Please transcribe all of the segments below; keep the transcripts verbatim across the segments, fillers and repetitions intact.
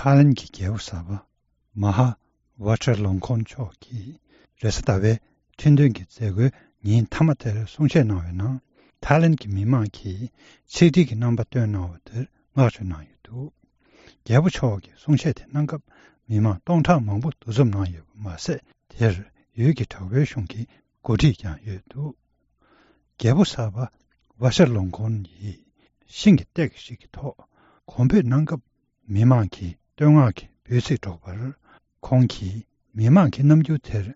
ཐའི་ལན་གྱི་རྒྱལ་པོ་གསར་པ་མ་ཧཱ་ཝཱ་ཅཱ་ལོང་ཁོན་མཆོག་གིས་རེས་གཟའ་ཟླ་བའི་ཁྲི་འདོན་གྱི་མཛད་སྒོའི་ཉིན་མཐའ་མ་དེར་གསུང་བཤད་གནང་བའི་ནང་། ཐའི་ལན་གྱི་མི་མང་གིས་ཆིག་སྒྲིལ་གྱི་རྣམ་པ་སྟོན་གནང་བ་དེར་བསྔགས་བརྗོད་གནང་ཡོད་འདུག་རྒྱལ་པོ་མཆོག་གིས་གསུང་བཤད་དེ་གནང་སྐབས་མི་མང་སྟོང་ཕྲག་མང་པོ་འདུ་འཛོམས་གནང་ཡོད་པ་མ་ཟད། དེར་ཡུལ་གྱི་དྲག་པོའི་གཞུང་གི་འགོ་ཁྲིད་ཀྱང་ཡོད་འདུག་རྒྱལ་པོ་གསར་པ་ཝཱ་ཤ་ལོང་ཁོན་ཡིས་ཤིང་གི་སྟེགས་ཤིག་གི་ཐོག་གོམ་བགྲོད་གནང་སྐབས། མི་མང་གིས་བསྟོད་བསྔགས་ཀྱི་འབོད་ཚིག་སྒྲོག་པར། ཁོང་གིས་མི་མང་གི་རྣམ་འགྱུར་དེར་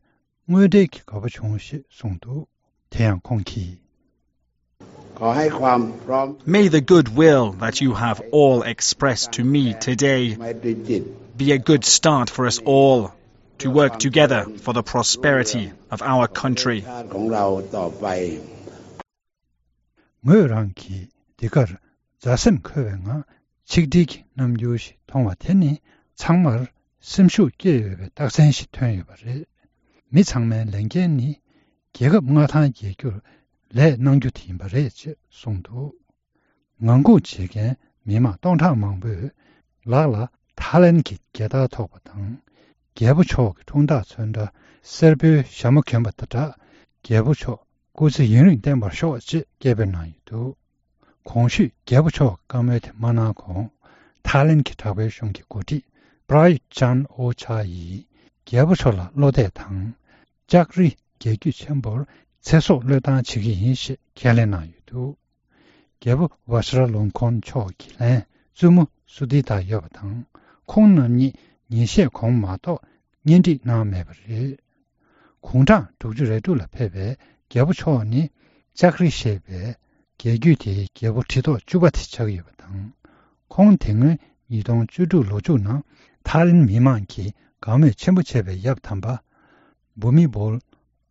དངོས་འབྲེལ་གྱི་དགའ་པོ་བྱུང་ཞེས་གསུངས་འདུག་དེ་ཡང་ཁོང་གིས། ขอให้ความพร้อม May the goodwill that you have all expressed to me today ไม่พิจิตร be a good start for us all to work together for the prosperity of our country. ชาติของเราต่อไป ངོས་རང་གིས་འདི་གར་མཛའ་སེམས་འཁོལ་བའི་ངང་ཆིག་སྒྲིལ་གྱི་རྣམ་འགྱུར་ཞིག་མཐོང་བ་དེ་ནི་ཚང་མར་སེམས་ཤུགས་སྐྱེད་འོས་པའི་རྟགས་མཚན་ཞིག་ཐོན་ཡོད་པ་རེད། མི་ཚང་མའི་ལས་འགན་ནི་རྒྱལ་ཁབ་མངའ་ཐང་རྒྱས་རྒྱུར་ལས་གནང་རྒྱུ་དེ་ཡིན་པ་རེད་ཅེས་གསུངས་འདུག་ངང་སྒུག་བྱེད་མཁན་མི་མང་སྟོང་ཕྲག་མང་པོས་ལག་ལ་ཐའི་ལན་གྱི་རྒྱལ་དར་ཐོགས་པ་དང་། རྒྱལ་པོ་མཆོག་གི་འཁྲུངས་རྟགས་ཚོན་ཁྲ་སེར་པོའི་ཞྭ་མོ་གྱོན་པ་དང་སྦྲགས། རྒྱལ་པོ་མཆོག་སྐུ་ཚེ་ཡུན་རིང་བརྟན་པར་ཤོག་ཅེས་སྐད་འབོད་གནང་ཡོད་འདུག་གོང་ཞུས་རྒྱལ་པོ་མཆོག་གི་བཀའ་མོལ་དེ་མ་གནང་གོང་། ཐའི་ལན་གྱི་དྲག་པོའི་གཞུང་གི་འགོ་ཁྲིད་པྲ་ཡུད་ཅཱན་ཨོ་ཆཱ་ཡིས་རྒྱལ་པོ་མཆོག་ལ་བློ་གཏད་དང་། ལྕགས་རི་རྒྱལ་རྒྱུད་ཆེན་པོར་ཚེ་སྲོག་བློས་བཏང་བྱེད་ཀྱི་ཡིན་ཞེས་ཁས་ལེན་གནང་ཡོད་འདུག་རྒྱལ་པོ་ཝ་ཤ་ར་ལོང་ཁོན་མཆོག་གི་ལན་བཙུན་མོ་སུ་དི་ཏཱ་ཡོད་པ་དང་། ཁོང་རྣམ་གཉིས་ཉིན་ཤས་གོང་མ་གཏོགས་གཉེན་སྒྲིག་གནང་མེད་པ་རེད། དགུང་གྲངས་དྲུག་ཅུ་རེ་དྲུག་ལ་ཕེབས་པའི་རྒྱལ་པོ་མཆོག་ནི་ལྕགས་རི་ཞེས་པའི་རྒྱལ་རྒྱུད་དེའི་རྒྱལ་པོ་ཁྲི་ཐོག་བཅུ་པ་དེ་ཆགས་ཡོད་པ་དང་། ཁོང་དེ་སྔོན་ཉིས་སྟོང་བཅུ་དྲུག་ལོ་མཇུག་ནང་ཐའི་ལན་མི་མང་གིས་དགའ་མོས་ཆེན་པོ་བྱས་པའི་ཡབ་དམ་པ་བྷུ་མི་བོལ་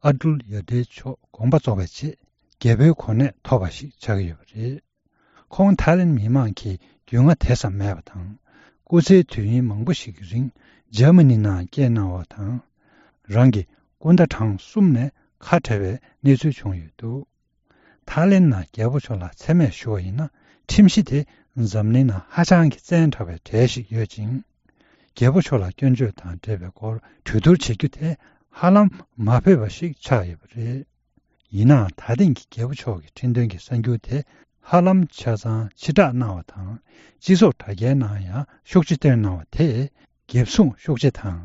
ཨ་ཏུལ་ཡ་དེ་མཆོག་དགོངས་པ་རྫོགས་པའི་རྗེས་རྒྱལ་པོའི་གོ་གནས་ཐོབ་པ་ཞིག་ཆགས་ཡོད་པ་རེད། ཁོང་ཐའི་ལན་མི་མང་གིས་རྒྱུས་མངའ་དེ་ཙམ་མེད་པ་དང་། སྐུ་ཚེའི་དུས་ཡུན་མང་པོ་ཞིག་གི་རིང་འཇར་མ་ནི་ནང་སྐྱེས་གནང་བ་དང་། རང་གི་སྐུ་ཟླ་གྲངས་གསུམ་ནས་ཁ་བྲལ་བའི་གནས་ཚུལ་བྱུང་ཡོད་འདུག་ཐའི་ལན་ནང་རྒྱལ་པོ་མཆོག་ལ་མཚན་སྨད་ཞུ་བ་ཡིན་ན། ཁྲིམས་གཞི་དེ་འཛམ་གླིང་ནང་ཧ་ཅང་གི་བཙན་དྲགས་པའི་གྲས་ཤིག་ཡོད་ཅིང་། རྒྱལ་པོ་མཆོག་ལ་སྐྱོན་བརྗོད་དང་འབྲེལ་བའི་སྐོར་གྲོས་བསྡུར་བྱེད་རྒྱུ་དེ་ཧ་ལམ་མ་ཕོད་པ་ཞིག་ཆགས་ཡོད་པ་རེད། ཡིན་ནའང་ད་ཐེངས་ཀྱི་རྒྱལ་པོ་མཆོག་གི་ཁྲི་འདོན་གྱི་གསར་འགྱུར་དེ་ཧ་ལམ་ཆ་ཚང་ཕྱིར་བསྒྲགས་གནང་བ་དང་། སྤྱི་ཚོགས་དྲ་རྒྱའི་ནང་ཡང་ཤུགས་ཆེ་བཏོན་གནང་བ་དེས་འགེབས་སྲུང་ཤུགས་ཆེ་དང་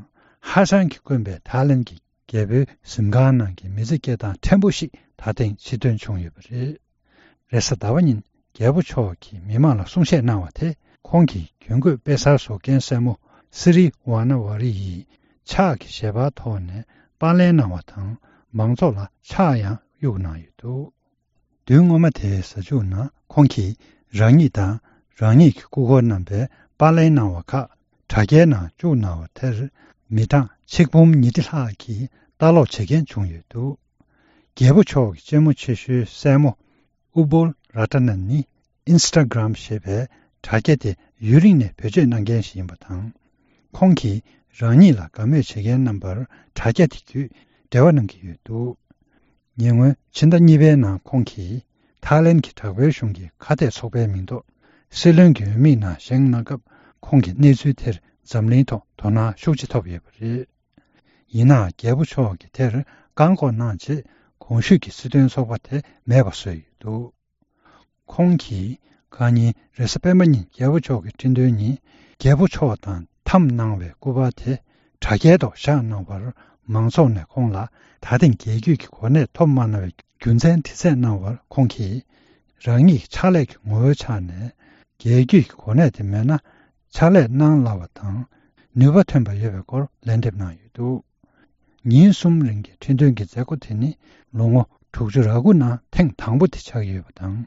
ཧ་ཅང་གིས་དཀོན་པའི་ཐའི་ལན་གྱི་རྒྱལ་པོའི་གཟིམ་ཁང་ནང་གི་མི་ཚེ་སྐྱེལ་སྟངས་ཕྲན་བུ་ཞིག་ད་ཐེངས་ཕྱིར་ཐོན་བྱུང་ཡོད་པ་རེད། རེས་གཟའ་ཟླ་བ་ཉིན་རྒྱལ་པོ་མཆོག་གིས་མི་མང་ལ་གསུང་བཤད་གནང་བ་དེ། ཁོང་གིས་གྱོན་གོས་དཔེ་གསར་བཟོ་མཁན་སྲས་མོ་སི་རི་ཝ་ན་ཝ་རི་ཡིས་ཕྱག་གི་ཞལ་པར་ཐོག་ནས་པར་ལེན་གནང་བ་དང་། མང་ཚོགས་ལ་ཕྱག་ཡང་གཡུགས་གནང་ཡོད་འདུག་དུས་སྔོན་མ་དེའི་གཟའ་མཇུག་ནང་ཁོང་གིས་རང་ཉིད་དང་རང་ཉིད་ཀྱི་སྐུ་འཁོར་རྣམ་པའི་པར་ལེན་གནང་བ་ཁག་དྲ་རྒྱའི་ནང་བཅུག་གནང་བ་དེར། མི་གྲངས་ཆིག་འབུམ་ཉིས་ཁྲི་ལྷག་གིས་ལྟ་ཀློག་བྱེད་མཁན་བྱུང་ཡོད་འདུག་རྒྱལ་པོ་མཆོག་གི་གཅེན་མོ་ཆེ་ཤོས་སྲས་མོ་ཨུ་བོལ་ར་ཏ་ནན་ནི་ཨིན་སི་ཊ་གྷ་རམ་ཞེས་པའི་དྲ་རྒྱ་དེ་ཡུན་རིང་ནས་བེད་སྤྱོད་གནང་མཁན་ཞིག་ཡིན་པ་དང་། ཁོང་གིས་རང་ཉིད་ལ་དགའ་མོས་བྱེད་མཁན་རྣམ་པར་དྲ་རྒྱ་དེ་བརྒྱུད་འབྲེལ་བ་གནང་གི་ཡོད་འདུག་ཉེ་སྔོན་ཕྱི་ཟླ་གཉིས་པའི་ནང་ཁོང་གིས་ཐའི་ལན་གྱི་དྲག་པོའི་གཞུང་གི་ཁ་གཏད་ཚོགས་པའི་མིང་ཐོག་སྲིད་བློན་གྱི་འོས་མིའི་ནང་བཞེངས་གནང་སྐབས། ཁོང་གིས་གནས་ཚུལ་དེར་འཛམ་གླིང་ཐོག་དོ་སྣང་ཤུགས་ཆེ་ཐོབ་ཡོད་པ་རེད། ཡིན་ནའང་རྒྱལ་པོ་མཆོག་གིས་དེར་བཀག་འགོག་གནང་རྗེས། གོང་ཞུས་ཀྱི་སྲིད་དོན་ཚོགས་པ་དེ་མེད་པ་བཟོས་ཡོད་འདུག་ཁོང་གིས་ཁ་ཉིན་རེས་གཟའ་སྤེན་པ་ཉིན་རྒྱལ་པོ་མཆོག་གི་ཁྲི་འདོན་ཉིན། རྒྱལ་པོ་མཆོག་དང་འཐམ་གནང་བའི་སྐུ་པར་དེ་དྲ་རྒྱའི་ཐོག་བཞག་གནང་བར། མང་ཚོགས་ནས་ཁོང་ལ་ད་ཐེངས་རྒྱལ་རྒྱུད་ཀྱི་གོ་གནས་ཐོབ་མ་གནང་བའི་རྒྱུ་མཚན་དྲི་རྩད་གནང་བར། ཁོང་གིས་རང་ཉིད་ཕྱག་ལས་ཀྱི་ངོ་བོའི་ཆ་ནས་རྒྱལ་རྒྱུད་ཀྱི་གོ་གནས་དེ་མེད་ན་ཕྱག་ལས་གནང་སླ་བ་དང་ནུས་པ་ཐོན་པ་ཡོད་པའི་སྐོར་ལན་འདེབས་གནང་ཡོད་འདུག་ཉིན་གསུམ་རིང་གི་ཁྲི་འདོན་གྱི་མཛད་སྒོ་དེ་ནི་ལོ་ངོ་དྲུག་ཅུ་རེ་དགུ་ནང་ཐེངས་དང་པོ་དེ་ཆགས་ཡོད་པ་དང་།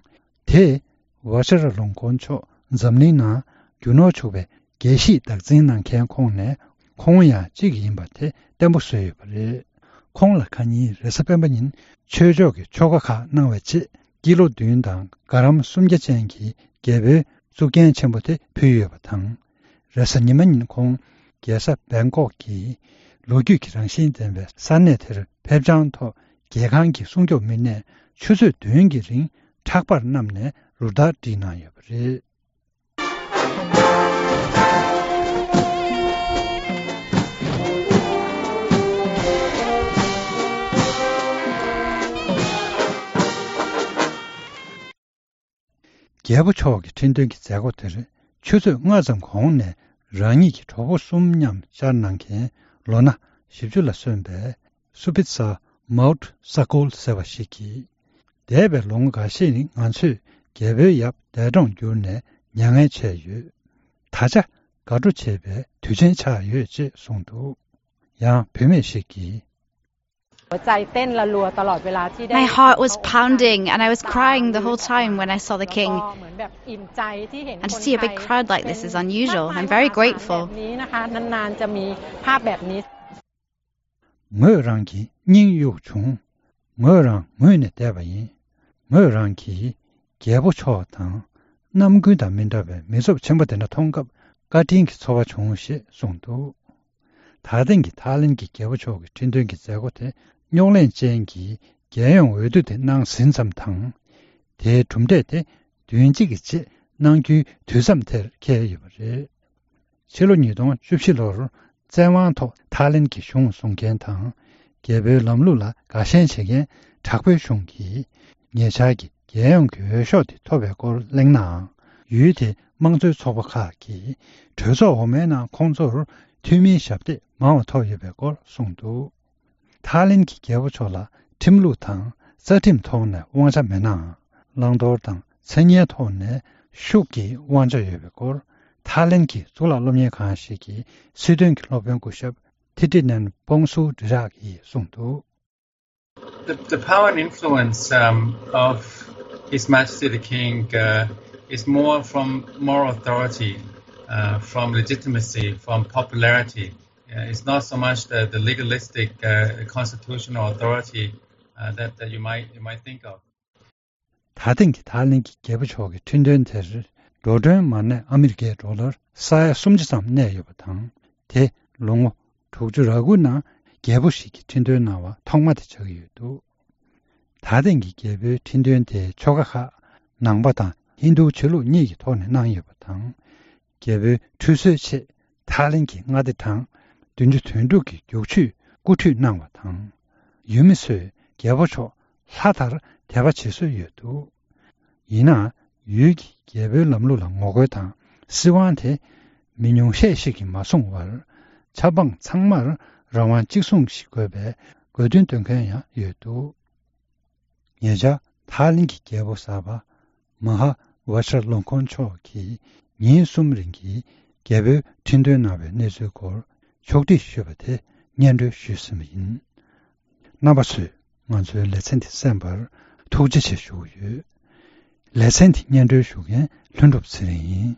དེས་ཝ་ཤ་ར་ལོང་ཀོན་མཆོག་འཛམ་གླིང་ནང་རྒྱུ་ནོར་ཕྱུག་པའི་རྒྱལ་གཞིས་བདག་འཛིན་གནང་མཁན་ཁོངས་ནས་ཁོང་ཡང་གཅིག་ཡིན་པ་དེ་བརྟན་པོ་བཟོས་ཡོད་པ་རེད། ཁོང་ལ་ཁ་ཉིན་རེས་གཟའ་སྤེན་པ་ཉིན་ཆོས་ཕྱོགས་ཀྱི་ཆོ་ག་ཁག་གནང་བའི་རྗེས། ཀི་ལོ་བདུན་དང་ག་རམ་སུམ་བརྒྱ་ཅན་གྱི་རྒྱལ་པོའི་གཙུག་རྒྱན་ཆེན་པོ་དེ་ཕུལ་ཡོད་པ་དང་། རེས་གཟའ་ཉི་མ་ཉིན་ཁོང་རྒྱལ་ས་བེང་ཀོག་གི་ལོ་རྒྱུས་ཀྱི་རང་བཞིན་ལྡན་པའི་ས་གནས་དེར་ཕེབས་བྱང་ཐོག་རྒྱལ་ཁང་གི་སྲུང་སྐྱོབ་མི་སྣས་ཆུ་ཚོད་བདུན་གྱི་རིང་ཕྲག་པར་བསྣམས་ནས་རུ་སྟར་བསྒྲིགས་གནང་ཡོད་པ་རེད། རྒྱལ་པོ་མཆོག་གི་ཁྲི་འདོན་གྱི་མཛད་སྒོ་དེར་ཆུ་ཚོད་ལྔ་ཙམ་གོང་ནས་རང་ཉིད་ཀྱི་གྲོགས་པོ་གསུམ་མཉམ་བཅར་གནང་མཁན་ལོ་ན་བཞི་བཅུ་ལ་སོན་པའི་སུ་པི་ཚ་མའོ་ཊ་ས་ཀོལ་ཟེར་བ་ཞིག་གིས། འདས་པའི་ལོ་ངོ་འགའ་ཤས་ནི་ང་ཚོས་རྒྱལ་པོའི་ཡབ་འདས་གྲོངས་གྱུར་ནས་མྱ་ངན་ཆད་ཡོད། ད་ཆ་དགའ་སྤྲོ་བྱེད་པའི་དུས་ཆེན་ཆགས་ཡོད་ཅེས་གསུངས་འདུག། ཡང་བུད་མེད་ཞིག་གིས། หัวใจเต้นระรัวตลอดเวลาที่ได้ My heart was pounding and I was crying the whole time when I saw the king. เหมือนแบบอิ่มใจที่เห็น And to see a big crowd like this is unusual. I'm very grateful. แบบนี้นะคะนานๆจะมีภาพแบบนี้ ངོས་རང་གི་སྙིང་གཡུག་བྱུང་། ངོས་རང་ངུས་ནས་བསྡད་པ་ཡིན། ངོས་རང་གིས་རྒྱལ་པོ་མཆོག་དང་རྣམ་ཀུན་དང་མི་འདྲ་བའི་མི་ཚབས་ཆེན་པོ་དེ་འདྲ་མཐོང་སྐབས་བཀའ་དྲིན་གྱི་ཚོར་བ་བྱུང་ཞེས་གསུངས་འདུག། ད་ཐེངས་ཀྱི་ཐའི་ལེན་གྱི་རྒྱལ་པོ་མཆོག་གི་ཁྲི་འདོན་གྱི་མཛད་སྒོ་དེ་རྙོག་གླེང་ཅན་གྱི་རྒྱལ་ཡོངས་འོས་བསྡུ་དེ་གནང་ཟིན་ཙམ་དང་། དེའི་གྲུབ་འབྲས་དེ་བདུན་གཅིག་གི་རྗེས་གནང་རྒྱུའི་དུས་མཚམས་དེར་འཁེལ་ཡོད་པ་རེད། ཕྱི་ལོ་ཉིས་སྟོང་བཅུ་བཞི་ལོར་བཙན་དབང་ཐོག་ཐའི་ལེན་གྱི་གཞུང་བཟུང་མཁན་དང་རྒྱལ་པོའི་ལམ་ལུགས་ལ་དགའ་ཞེན་བྱེད་མཁན་དྲག་པོའི་གཞུང་གིས་ཉེ་ཆར་གྱི་རྒྱལ་ཡོངས་ཀྱི་འོས་ཤོག་དེ་ཐོབ་པའི་སྐོར་གླེང་ནའང་། ཡུལ་དེའི་དམངས་གཙོའི་ཚོགས་པ་ཁག་གིས་གྲོས་ཚོགས་འོག་མའི་ནང་ཁོང་ཚོར་འཐུས་མིའི་ཞབས་སྟེགས་མང་བ་ཐོབ་ཡོད་པའི་སྐོར་གསུངས་འདུག། ཐའི་ལེན་གྱི་རྒྱལ་པོ་མཆོག་ལ་ཁྲིམས་ལུགས་དང་རྩ་ཁྲིམས་ཐོག་ནས་དབང་ཆ་མེད་ནའང་། བླང་དོར་དང་མཚན་སྙན་ཐོག་ནས་ཤུགས་ཀྱིས་དབང་ཆ་ཡོད་པའི་སྐོར། ཐའི་ལེན་གྱི་གཙུག་ལག་སློབ་གཉེར་ཁང་ཞིག་གི་སྲིད་དོན་གྱི་སློབ་དཔོན་སྐུ་ཞབས་ཐི་ཏི་ནན་པོང་སུ་ཌི་རག་ཡིས་གསུངས་འདུག། The, the power and influence um, of His Majesty the King uh, is more from moral authority, uh, from legitimacy, from popularity. Uh, it's not so much the, the legalistic uh, constitutional authority uh, that, that you might you might think of. ད་ཐེངས་ཀྱི་ཐའི་ལེན་གྱི་རྒྱལ་པོ་མཆོག་གི་ཁྲི་འདོན་དེར་འགྲོ་གྲོན་མ་གནས་ཨ་མི་རི་ཀའི་ཌོ་ལར་ས་ཡ་སུམ་ཅུ་ཙམ་གནས་ཡོད་པ་དང་། དེ་ལོ་ངོ་དྲུག་ཅུ་རེ་དགུ་ནང་རྒྱལ་པོ་ཞིག་གིས་ཁྲི་འདོན་གནང་བ་ཐོག་མ་དེ་ཆགས་ཀྱི་ཡོད་འདུག། ད་ཐེངས་ཀྱི་རྒྱལ་པོའི་ཁྲི་འདོན་དེའི་ཆོ་ག་ཁག་ནང་པ་དང་ཧིན་རྡུའི་ཆོས་ལུགས་གཉིས་ཀྱི་ཐོག་ནས་གནང་ཡོད་པ་དང་། རྒྱལ་པོའི་ཁྲུས་གསོལ་ཆེད་ཐའི་ལེན་གྱི་མངའ་སྡེ་གྲངས་བདུན་ཅུ་དོན་དྲུག་གི་རྒྱུག་ཆུས་སྐུ་ཁྲུས་གནང་བ་དང་། ཡུལ་མི་ཚོས་རྒྱལ་པོ་མཆོག་ལྷ་ལྟར་དད་པ་བྱེད་སྲོལ་ཡོད་འདུག། ཡིན་ནའང་ཡུལ་གྱི་རྒྱལ་པོའི་ལམ་ལུགས་ལ་ངོ་རྒོལ་དང་སྲིད་དབང་དེ་མི་ཉུང་ཤས་ཤིག་གིས་མ་བཟུང་བར། ཆབ་འབངས་ཚང་མར་རང་དབང་གཅིག་མཚུངས་ཤིག་དགོས་པའི་དགོས་འདུན་འདོན་མཁན་ཡང་ཡོད་འདུག། ཉེ་ཆར་ཐའི་ལེན་གྱི་རྒྱལ་པོ་གསར་པ་མ་ཧཱ་ཝ་ཤ་ལོང་ཁོན་མཆོག་གིས་ཉིན་གསུམ་རིང་གི་རྒྱལ་པོའི་ཁྲི་འདོན་གནང་བའི་གནས་ཚུལ་སྐོར་ཕྱོགས་བསྒྲིགས་ཞུས་པ་དེ་སྙན་སྒྲོན་ཞུས་ཟིན་པ་ཡིན། རྣམ་པ་ཚོས་ང་ཚོའི་ལེ་ཚན་འདི་གསན་པར་ཐུགས་རྗེ་ཆེ་ཞུ་གི་ཡོད། ལེ་ཚན་འདི་སྙན་སྒྲོན་ཞུ་མཁན་ལྷུན་གྲུབ་ཚེ་རིང་ཡིན།